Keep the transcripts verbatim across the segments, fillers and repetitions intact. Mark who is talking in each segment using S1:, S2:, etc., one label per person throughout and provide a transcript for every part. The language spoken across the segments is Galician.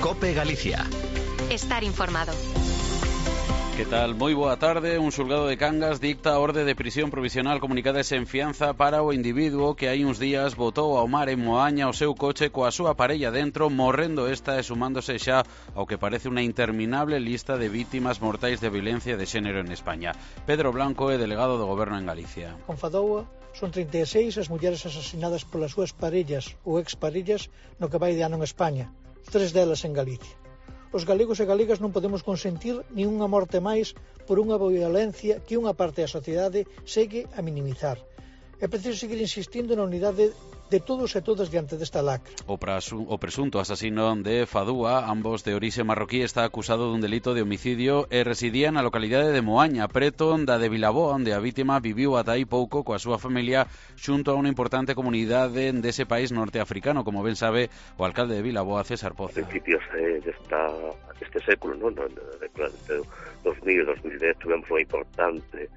S1: COPE Galicia.
S2: Estar informado.
S3: Que tal? Moi boa tarde. Un xulgado de Cangas dicta a orde de prisión provisional comunicada sen fianza para o individuo que hai uns días botou ao mar en Moaña o seu coche coa súa parella dentro, morrendo esta e sumándose xa ao que parece unha interminable lista de vítimas mortais de violencia de xénero en España. Pedro Blanco é delegado do Goberno en Galicia.
S4: Con Fadoua son trinta e seis as mulleres asasinadas polas súas parellas ou exparellas no que vai de ano en España, tres delas en Galicia. Os galegos e galegas non podemos consentir ni unha morte máis por unha violencia que unha parte da sociedade segue a minimizar. É preciso seguir insistindo na unidade de todos e todas diante desta lacra.
S3: O, prasu, o presunto asasino de Fadúa, ambos de orixe marroquí, está acusado dun delito de homicidio e residía na localidade de Moaña, preto da de Vilaboa, onde a vítima viviu ata aí pouco coa súa familia xunto a unha importante comunidade dese país norteafricano, como ben sabe o alcalde de Vilaboa, César Poza.
S5: A principios eh, desta, deste século, non? No, de, de dos mil, dos mil dez, tuvemos unha importante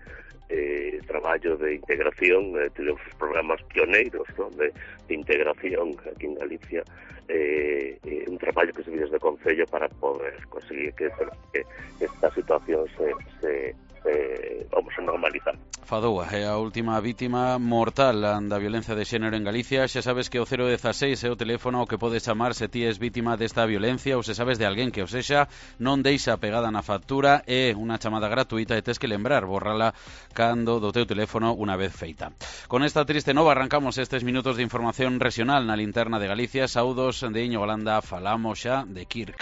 S5: Eh, traballo de integración, eh, tivemos programas pioneiros, ¿no? de, de integración aquí en Galicia, eh, eh, un traballo que se vive desde o Concello para poder conseguir que, que esta situación se, se, se vamos a normalizar.
S3: Fadoua é a última vítima mortal da violencia de xénero en Galicia. Xa sabes que o cero dezasseis é o teléfono ao que podes chamar se ti és vítima desta violencia ou se sabes de alguén que o sexa, non deixa pegada na factura, é unha chamada gratuita e tes que lembrar borrala cando do teu teléfono unha vez feita. Con esta triste nova arrancamos estes minutos de información regional na linterna de Galicia. Saudos de Iño Holanda, falamos xa de Kirk.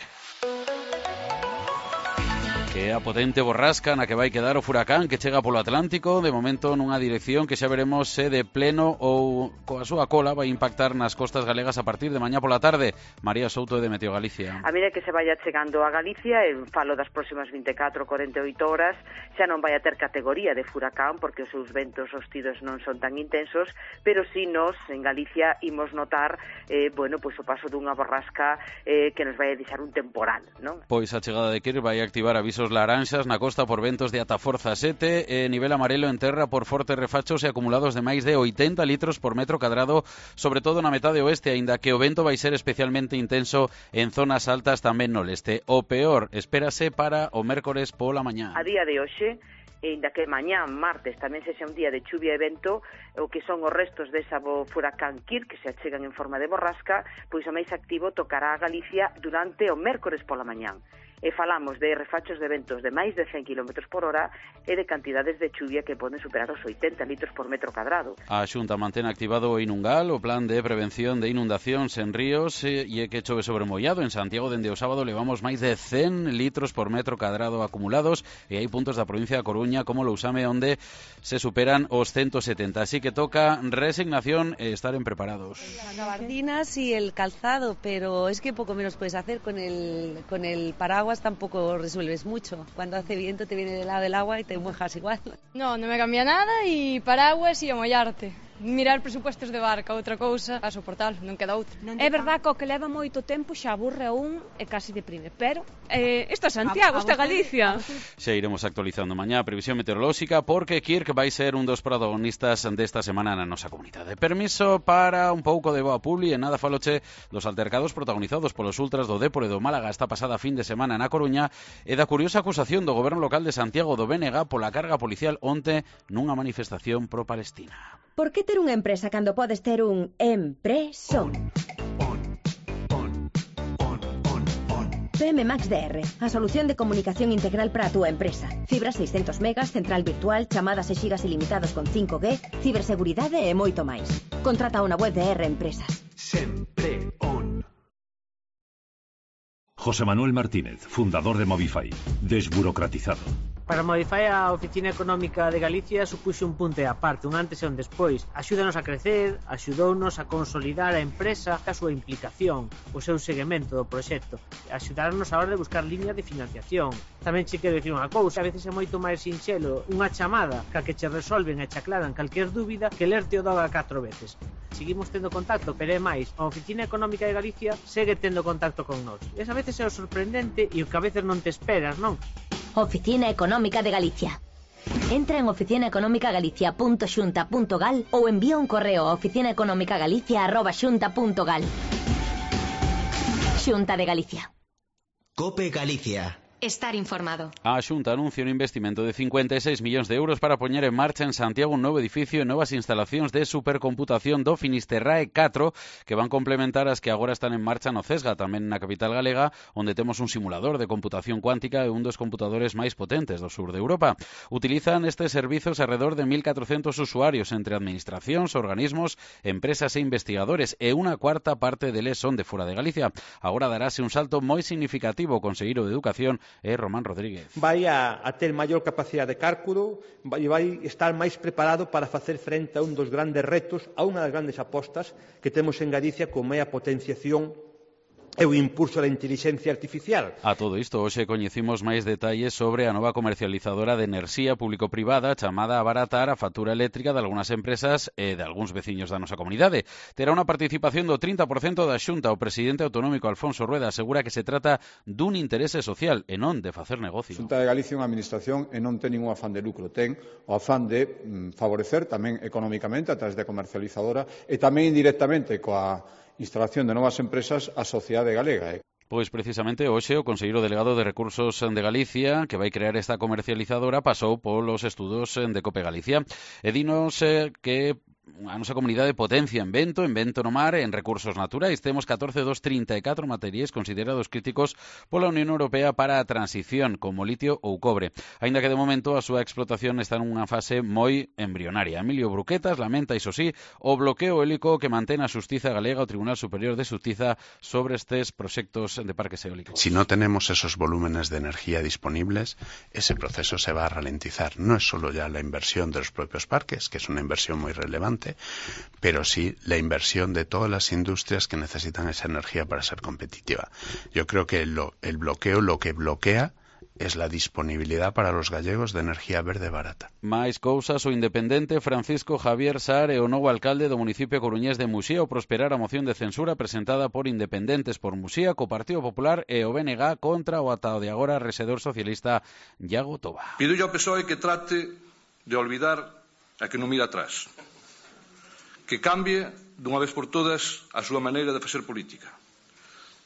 S3: Que é a potente borrasca na que vai quedar o furacán que chega polo Atlántico, de momento nunha dirección que xa veremos se de pleno ou coa súa cola vai impactar nas costas galegas a partir de mañá pola tarde. María Souto de Meteo Galicia.
S6: A medida que se vaya chegando a Galicia, en falo das próximas vinte e catro a corenta e oito horas, xa non vai a ter categoría de furacán porque os seus ventos hostidos non son tan intensos, pero si nos en Galicia imos notar eh, bueno, pois o paso dunha borrasca eh, que nos vai a deixar un temporal, non?
S3: Pois a chegada de Kirk vai activar avisos laranxas na costa por ventos de ata forza sete e nivel amarelo en terra por fortes refachos e acumulados de máis de oitenta litros por metro cadrado, sobre todo na metade oeste, aínda que o vento vai ser especialmente intenso en zonas altas tamén no leste. O peor espérase para o mércores pola mañá.
S6: A día de hoxe, ainda que mañá, martes, tamén sexa un día de chuvia e vento, o que son os restos desa furacán Kirk, que se achegan en forma de borrasca, pois o máis activo tocará a Galicia durante o mércores pola mañán. E falamos de refachos de ventos de máis de cen kilómetros por hora e de cantidades de chuvia que poden superar os oitenta litros por metro cadrado.
S3: A Xunta mantén activado o Inungal, o plan de prevención de inundacións en ríos, e é que chove sobre mollado. En Santiago, dende o sábado, levamos máis de cen litros por metro cadrado acumulados e hai puntos da provincia da Coruña, como Lousame, onde se superan os ciento setenta. Así que toca resignación e estar en preparados.
S7: Las gabardinas y el calzado, pero es que poco menos puedes hacer con el, con el paraguas. Tampoco resuelves mucho. Cuando hace viento te viene del lado del agua y te mojas igual.
S8: No, no me cambia nada y paraguas y a mollarte. Mirar presupuestos de barca, outra cousa, a soportar, non queda outra.
S9: Non é verdad que o que leva moito tempo xa aburre a un e casi deprime, pero eh, esta é Santiago, esta é Galicia.
S3: Xa iremos actualizando mañá a previsión meteorolóxica porque Kirk vai ser un dos protagonistas desta semana na nosa comunidade. Permiso para un pouco de boa publi e nada faloche dos altercados protagonizados polos ultras do Dépor e do Málaga esta pasada fin de semana na Coruña e da curiosa acusación do goberno local de Santiago do B N G pola carga policial onte nunha manifestación pro-palestina.
S10: Por que ter unha empresa cando podes ter un empresón? P M Max D R, a solución de comunicación integral para a túa empresa. Fibra seiscentos megas, central virtual, chamadas e xigas ilimitados con cinco G, ciberseguridade e moito máis. Contrata unha web de R Empresas.
S11: Sempre on. José Manuel Martínez, fundador de Movify. Desburocratizado.
S12: Para Movify, a Oficina Económica de Galicia supuxe un punto e aparte, un antes e un despois. Axúdanos a crecer, axudounos a consolidar a empresa, a súa implicación, o seu seguimento do proxecto, axudarnos a hora de buscar líneas de financiación. Tamén che quero dicir unha cousa, a veces é moito máis sinxelo unha chamada ca que che resolven e che aclaran calquer dúbida que lerte o doga catro veces. Seguimos tendo contacto, pero é máis, a Oficina Económica de Galicia segue tendo contacto con nós. Esa veces é o sorprendente e o que a veces non te esperas, non?
S10: Oficina Económica de Galicia. Entra en oficina económica galicia punto xunta punto gal ou envía un correo a oficina económica galicia arroba xunta punto gal. Xunta de Galicia.
S1: COPE Galicia.
S2: Estar informado.
S3: A Xunta anuncia un investimento de cincuenta e seis millóns de euros para poñer en marcha en Santiago un novo edificio e novas instalacións de supercomputación do Finisterrae catro que van complementar as que agora están en marcha no Cesga, tamén na capital galega, onde temos un simulador de computación cuántica e un dos computadores máis potentes do sur de Europa. Utilizan estes servizos alrededor de mil catrocentos usuarios entre administracións, organismos, empresas e investigadores e unha cuarta parte deles son de fora de Galicia. Agora darase un salto moi significativo. O conselleiro de Educación é Román Rodríguez.
S13: Vai a, a ter maior capacidade de cálculo e vai estar máis preparado para facer frente a un dos grandes retos, a unha das grandes apostas que temos en Galicia, como é a potenciación e o impulso da inteligencia artificial.
S3: A todo isto, hoxe coñecimos máis detalles sobre a nova comercializadora de enerxía público-privada chamada a abaratar a factura eléctrica de algunhas empresas e de algúns veciños da nosa comunidade. Terá unha participación do trinta por cento da Xunta. O presidente autonómico Alfonso Rueda asegura que se trata dun interese social e non de facer negocio.
S14: A Xunta de Galicia é unha administración e non ten ningún afán de lucro, ten o afán de mm, favorecer tamén económicamente a través da comercializadora e tamén indirectamente coa instalación de novas empresas a sociedade galega.
S3: Pois precisamente hoxe o conselleiro delegado de Recursos de Galicia, que vai crear esta comercializadora, pasou polos estudos de COPE Galicia e dinos eh, que a nosa comunidade potencia en vento, en vento no mar, en recursos naturais. Temos catorce dos trinta e catro materiais considerados críticos pola Unión Europea para a transición, como litio ou cobre. Aínda que de momento a súa explotación está nunha fase moi embrionaria. Emilio Bruquetas lamenta, iso sí, o bloqueo eólico que mantén a Xustiza Galega, o Tribunal Superior de Xustiza, sobre estes proxectos de parques eólicos.
S15: Si no tenemos esos volúmenes de energía disponibles, ese proceso se va a ralentizar. No es solo ya la inversión de los propios parques, que es una inversión muy relevante, pero sí la inversión de todas las industrias que necesitan esa energía para ser competitiva. Yo creo que lo, el bloqueo lo que bloquea es la disponibilidad para los gallegos de energía verde barata.
S3: Máis cousas, o independente Francisco Javier Sar é o novo alcalde do municipio coruñés de Muxía ao prosperar a moción de censura presentada por Independentes por Muxía co Partido Popular e o B N G contra o ata de agora rexedor socialista Iago Toba.
S16: Pido ao P S O E que trate de olvidar a que non mira atrás, que cambie dunha vez por todas a súa maneira de facer política.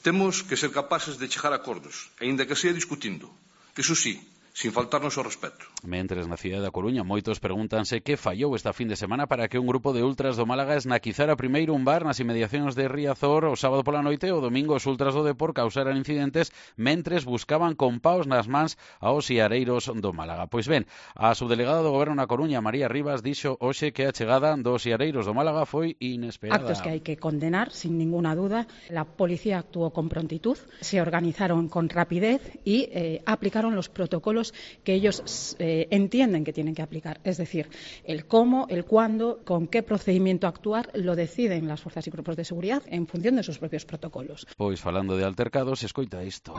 S16: Temos que ser capaces de chegar a acordos, aínda que sea discutindo. Iso sí, sin faltarnos ao respeto.
S3: Mentres na cidade da Coruña moitos pregúntanse que fallou esta fin de semana para que un grupo de ultras do Málaga esnaquizara primeiro un bar nas inmediacións de Riazor o sábado pola noite e o domingo os ultras do Depor causaran incidentes mentres buscaban con paus nas mans aos iareiros do Málaga. Pois ben, a subdelegada do Goberno na Coruña, María Rivas, dixo hoxe que a chegada dos iareiros do Málaga foi inesperada.
S17: Actos que hai que condenar, sin ninguna duda. La policía actuó con prontitud, se organizaron con rapidez y eh, aplicaron los protocolos que ellos eh, entienden que tienen que aplicar. Es decir, el cómo, el cuándo, con qué procedimiento actuar, lo deciden las fuerzas y grupos de seguridad en función de sus propios protocolos.
S3: Pois falando de altercados, escoita isto.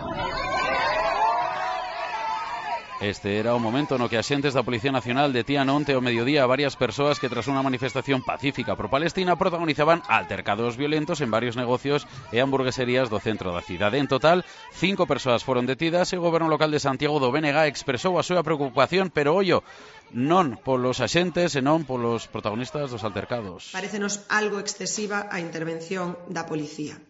S3: Este era o momento no que axentes da Policía Nacional detían onte ao mediodía a varias persoas que tras unha manifestación pacífica pro Palestina protagonizaban altercados violentos en varios negocios e hamburgueserías do centro da cidade. En total, cinco persoas foron detidas e o Goberno Local de Santiago do B N G expresou a súa preocupación, pero ollo, non polos axentes e non polos protagonistas dos altercados.
S18: Parécenos algo excesiva a intervención da policía.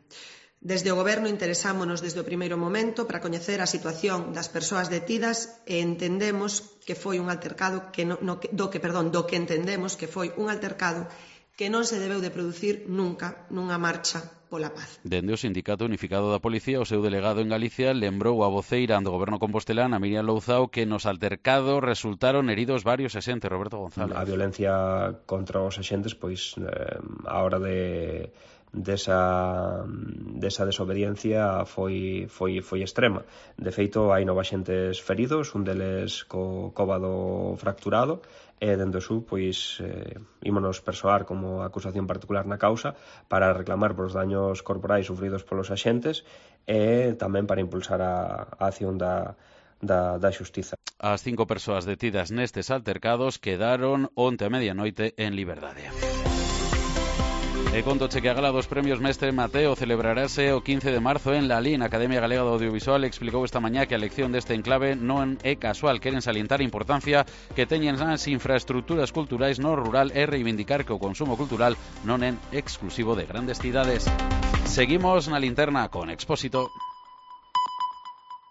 S18: Desde o Goberno interesámonos desde o primeiro momento para coñecer a situación das persoas detidas e entendemos que foi un altercado que no, no, do que, perdón, do que entendemos que foi un altercado que non se debeu de producir nunca nunha marcha pola paz.
S3: Dende o Sindicato Unificado da Policía, o seu delegado en Galicia lembrou a voceira do Goberno compostelán, a Miriam Louzao, que nos altercados resultaron heridos varios axentes. Roberto González.
S19: A violencia contra os axentes, pois, eh, a hora de desa, desa desobediencia foi, foi, foi extrema. De feito, hai nove axentes feridos, un deles co cóbado fracturado, e dende o Sur, pois, eh, ímonos persoar como acusación particular na causa para reclamar por os daños corporais sufridos polos axentes e tamén para impulsar a, a acción da Da, da xustiza.
S3: As cinco persoas detidas nestes altercados quedaron onte a medianoite en liberdade. E contoche que a gala dos premios Mestre Mateo celebrarase o quince de marzo en Lalín. A Academia Galega do Audiovisual explicou esta mañá que a elección deste enclave non é casual. Queren salientar a importancia que teñen as infraestructuras culturais no rural e reivindicar que o consumo cultural non é exclusivo de grandes cidades. Seguimos na linterna con Expósito.